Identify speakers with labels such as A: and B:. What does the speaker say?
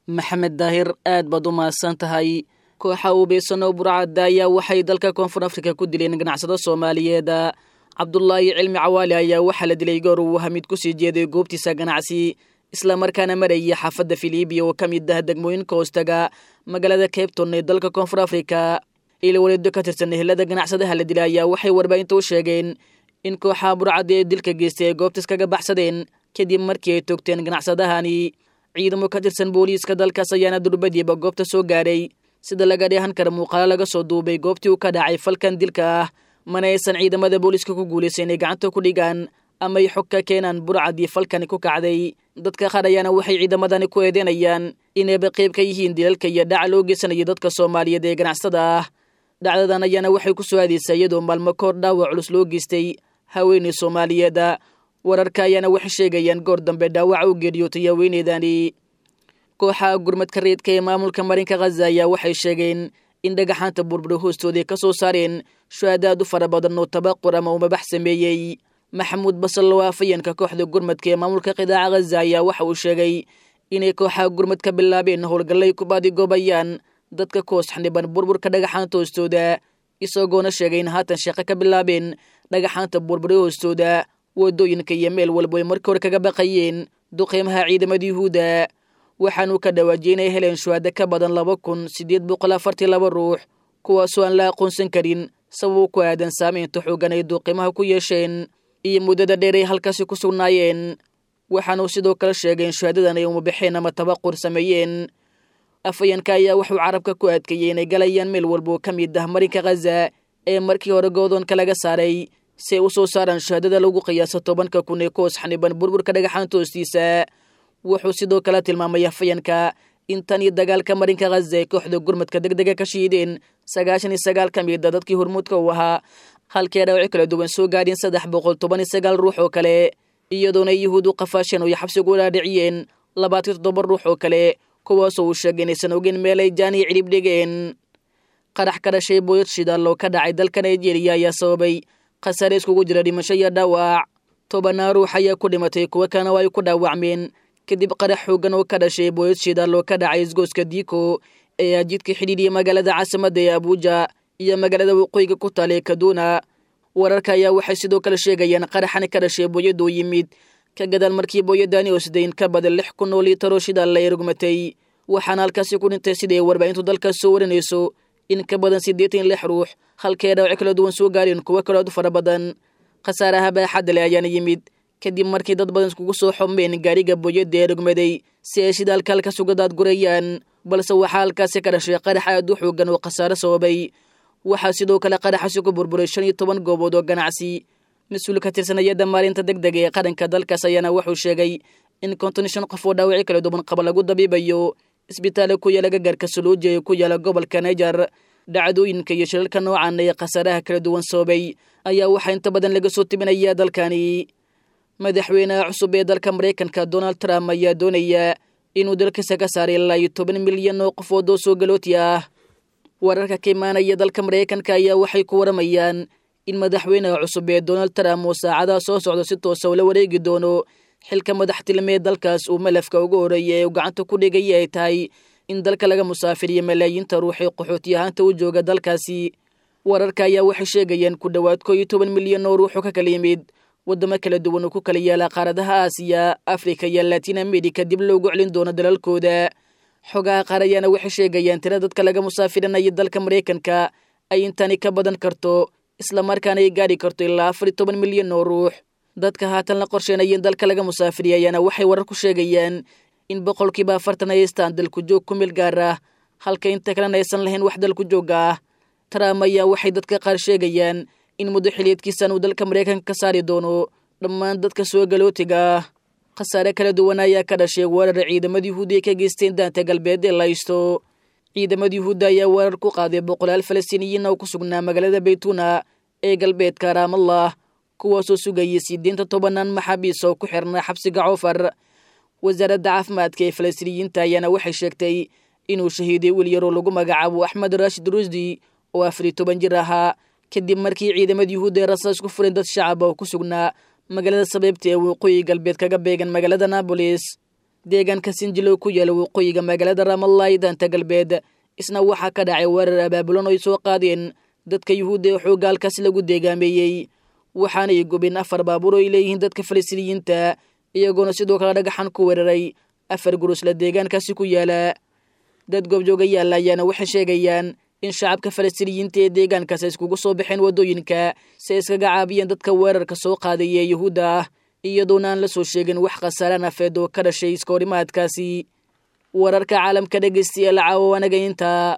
A: Maxamed Daahir, aad baad u mahadsan tahay. Kooxa uubeysan oo burcadda ayaa waxay dalka Koonfur Afrika ku dileen ganacsado Soomaaliyeed. Cabdulaahi Cilmi Cawaali ayaa waxaa la dilay goor uu hamid ku sii jeeday goobtiisa ganacsi, islamarkaana marayay xaafadda Filibiya oo ka mid ah degmooyinka hoostaga magaalada Cabton ee dalka Koonfur Afrika. Ilwaleedo ka tirsan ehelada ganacsadaha la dilay ayaa waxay warbaahinta u sheegeen in kooxaha burcadda ee dilka geystay ay goobtas kaga baxsadeen kadib markii ay toogteen ganacsadahani. Ciidamo ka tirsan booliiska dalkaas ayaana durbadiiba goobta soo gaaray, sida laga dheehan kara muuqaalo laga soo duubay goobtii uu ka dhacay falkan dilka ah. Mana aysan ciidamada booliiska ku guulaysan inay gacanta ku dhigaan ama ay xog ka keenaan burcadii falkani ku kacday. Dadka qaar ayaana waxay ciidamadani ku eedeynayaan inayba qayb ka yihiin dilalka iyo dhaca loo geysanayo dadka Soomaaliyeed ee ganacsada ah. Dhacdadan ayaana waxay ku soo aadaysaa iyadoo maalmo koor dhaawac culus loo geystay haweeney Soomaaliyeeda. Wararka ayaana waxay sheegayaan goor dambe dhaawaca u geeriyootay haweeneydani. Kooxaha gurmadka reedka ee maamulka marinka Khaza ayaa waxay sheegeen in dhagaxaanta burbura hoostooday ka soo saareen shuhadaad u fara badan oo tabaqur ama umabax sameeyey. Maxamuud Basal oo afayeenka kooxda gurmadka ee maamulka qidaaca Khaza ayaa waxa uu sheegay inay kooxaha gurmad ka bilaabeen howlgallay ku baadigoobayaan dadka koos xaniban burburka dhagaxaanta hoostooda, isagoona sheegay in haatan shaqo ka bilaabeen dhagaxaanta burbura hoostooda, wadooyinka iyo meel walbo ay markii hore kaga baqayeen duqeymaha ciidamada Yuhuudda. Waxaanuu ka dhawaajiyey inay heleen shuhada ka badan 2842 ruux, kuwaasoo aan la aqoonsan karin sababo ku aadan saameynta xoogan ay duqeymaha ku yeesheen iyo muddada dheer ay halkaasi ku sugnaayeen. Waxaanuu sidoo kale sheegay in shuhadadan ay umabaxeen ama tabaqur sameeyeen. Afayeenka ayaa wuxuu carabka ku adkeeyey inay galayaan meel walbo ka mid ah marinka Khaza ee markii hore goodoonka laga saaray, si ay u soo saaraan shuhadada lagu qiyaaso 10,000 ee koos xaniban burburka dhagaxaanta hoostiisa. Wuxuu sidoo kale tilmaamay afayeenka in tan iyo dagaalka marinka Khaza ay kooxda gurmadka degdega ka shiideen 99 ka mid a dadkii hormuudka u ahaa, halkii ay dhaawacyo kala duwan soo gaadheen 319 ruux oo kale, iyadoona ay Yuhuud u qafaasheen oo ay xabsigu u dhaadhiciyeen 27 ruux oo kale, kuwaasoo uu sheegay inaysan ogeyn meel ay jaan iyo cidhib dhigeen. Qarax ka dhashay booyad shidaal oo ka dhacay dalka Nigeria ayaa sababay khasaare iskugu jira dhimasho iyo dhaawac. Tobanaa ruux ayaa ku dhimatay, kuwo kalena waa ay ku dhaawacmeen kadib qarax xoogan oo ka dhashay booyad shidaal oo ka dhacay isgooska Diiko ee ajidka xidhiidhiya magaalada caasimadda ee Abuuja iyo magaalada waqooyiga ku taal ee Kaduna. Wararka ayaa waxay sidoo kale sheegayaan qaraxani ka dhashay booyaduu yimid ka gadaal markii booyadaani oo siday in ka badan 6000 oo liitar oo shidaal la erugmatay, waxaana halkaasi ku dhintay siday warbaahintu dalkaas soo warinayso in ka badan 86 ruux, halkii ay dhaawacyo kala duwan soo gaareen kuwo kaloo aad u fara badan. Khasaaraha baaxadda leh ayaana yimid kadib markii dad badan iskugu soo xomeen gaariga booyadda ee rugmaday si ay shidaalka halkaas uga daadgurayaan, balse waxaa halkaasi ka dhashay qarax aad u xoogan oo khasaare sababay. Waxaa sidoo kale qaraxaasi ku burburay 15 goobood oo ganacsi. Mas-uul ka tirsan hayadda maalinta degdega ee qaranka dalkaas ayaana wuxuu sheegay in 55 qof oo dhaawacyo kala duwan qaba lagu dabiibayo isbitaalla ku yaala gagarka Suluuja ee ku yaala gobolka Niger. Dhacdooyinka iyo shilalka noocan ee khasaaraha kala duwan sababay ayaa waxaa inta badan laga soo tibinayaa dalkani. Madaxweynaha cusub ee dalka Maraykanka Donald Trump ayaa doonaya inuu dalkiisa ka saaray ilaa iyo 10 milyan oo qofood oo soo galooti ah. Wararka ka imaanaya dalka Maraykanka ayaa waxay ku waramayaan in madaxweynaha cusub ee Donald Trump uu saacadaha soo socda si toosa ula wareegi doono xilka madaxtilmee dalkaas uu malafka ugu horeeya ee uu gacanta ku dhigaya ay tahay in dalka laga musaafiriyo malaayiinta ruuxee qaxooti ahaanta u jooga dalkaasi. Wararka ayaa waxay sheegayaan ku dhowaad 11 milyan oo ruuxu ka kala yimid waddamo kala duwan oo ku kala yaala qaaradaha Aasiya, Afrika iyo Latin America dib loogu celin doono dalalkooda. Xogaha qaar ayaana waxay sheegayaan tira dadka laga musaafirinaya dalka Maraykanka ay intani ka badan karto, islamarkaana ay gaari karto ilaa 14 milyan oo ruux. Dadka haatan la qorsheynaya in dalka laga musaafiriya ayaana waxay warar ku sheegayaan in 40% ay haystaan dalku joog ku meel gaar ah, halka inta kalena aysan lahayn wax dalku joogga ah. Trump ayaa waxay dadka qaar sheegayaan in muddo xiliyeedkiisan uu dalka Maraykanka ka saari doono dhammaan dadka soo galootiga ah. Khasaare kala duwan ayaa ka dhashay weerar ciidamada Yuhuudda ay ka geysteen daanta galbeed ee laysto. Ciidamada Yuhuudda ayaa weerar ku qaaday boqolaal Falastiiniyiin oo ku sugnaa magaalada Baytuna ee galbeedka Raamallah, kuwaasoo sugayay sideenta tobanaan maxaabiis oo ku xirnaa xabsiga Coofar. Wasaaradda caafimaadka ee Falastiiniyiinta ayaana waxay sheegtay inuu shahiiday wiil yaroo lagu magacaabo Axmed Raashid Rusdi oo 14 jir ahaa, kadib markii ciidamada Yuhuudda ay rasaas ku fureen dad shacab oo ku sugnaa magaalada Sabeebta ee waqooyi galbeed kaga beegan magaalada Nabolis. Deegaanka Sinjilo ku yaala waqooyiga magaalada Ramallah ee daanta galbeed isna waxaa ka dhacay weerar abaabulan oo ay soo qaadeen dadka Yuhuudda ee xoogga halkaas lagu deegaameeyey, waxaanay gubeen 4 baabuur oo ay leeyihiin dadka Falastiiniyiinta, iyagoona sidoo kale dhagaxan ku weeraray 4 gurusla deegaankaasi ku yaala. Dad goobjoogayaal ayaana waxay sheegayaan in shacabka Falastiiniyiinta ee deegaankaas ay iskugu soo baxeen waddooyinka si ay iskaga caabiyeen dadka weerarka soo qaadaya ee Yuhuudda ah, iyadoona aan la soo sheegin wax khasaare nafeed oo ka dhashay iskahorimaadkaasi. Wararka caalamka dhegeystayaal caawa wanaga intaa.